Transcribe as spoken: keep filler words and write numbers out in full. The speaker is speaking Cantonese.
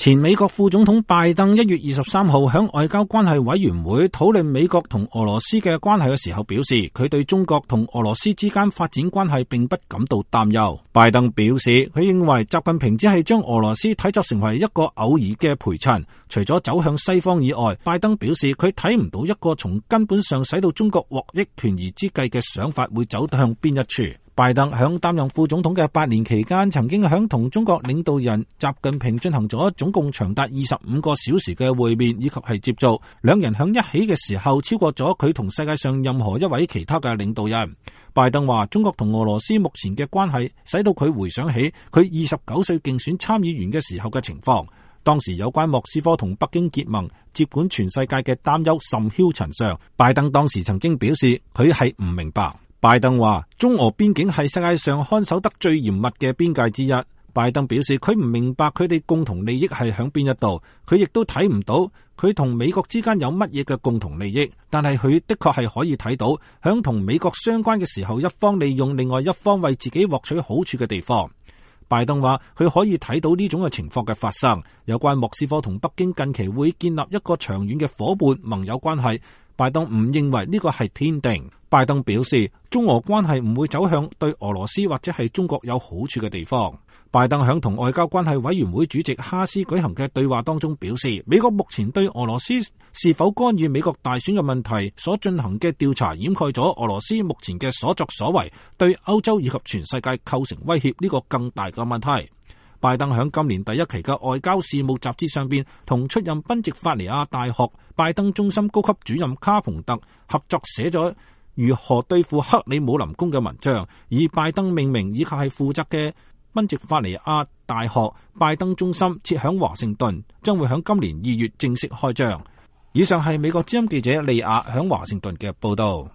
前美國副總統拜登一月二十三號喺外交關係委員會討論美國同俄羅斯嘅關係嘅時候表示，佢對中國同俄羅斯之間發展關係並不感到擔憂。拜登表示，佢認為習近平只係將俄羅斯睇作成為一個偶爾嘅陪襯，除咗走向西方以外，拜登表示佢睇唔到一個從根本上使到中國獲益權宜之計嘅想法會走向邊一處。拜登響擔任副總統嘅八年期間，曾經響同中國領導人習近平進行咗總共長達二十五個小時嘅會面以及係接觸，兩人響一起嘅時候超過咗佢同世界上任何一位其他嘅領導人。拜登話，中國同俄羅斯目前嘅關係使到佢回想起佢二十九歲競選參議員嘅時候嘅情況，當時有關莫斯科同北京結盟接管全世界嘅擔憂甚囂塵上。拜登當時曾經表示佢係唔明白。拜登話，中俄邊境係世界上看守得最嚴密嘅邊界之一。拜登表示佢唔明白佢哋共同利益係響邊一度，佢亦都睇唔到佢同美國之間有乜嘢嘅共同利益，但係佢的確係可以睇到響同美國相關嘅時候，一方利用另外一方為自己獲取好處嘅地方。拜登話佢可以睇到呢種嘅情況嘅發生，有關莫斯科同北京近期會建立一個長遠嘅夥伴盟友關係，拜登唔認為呢個係天定。拜登表示，中俄關係唔會走向對俄羅斯或者係中國有好處嘅地方。拜登響同外交關係委員會主席哈斯舉行嘅對話當中表示，美國目前對俄羅斯是否干預美國大選嘅問題所進行嘅調查，掩蓋咗俄羅斯目前嘅所作所為對歐洲以及全世界構成威脅呢個更大嘅問題。拜登響今年第一期嘅外交事務雜誌上邊同出任賓夕法尼亞大學拜登中心高級主任卡蓬特合作寫咗如何對付克里姆林宮嘅文章，以拜登命名以及係負責嘅賓夕法尼亞大學拜登中心設響華盛頓，將會響今年二月正式開張。以上係美國之音記者利亞響華盛頓嘅報道。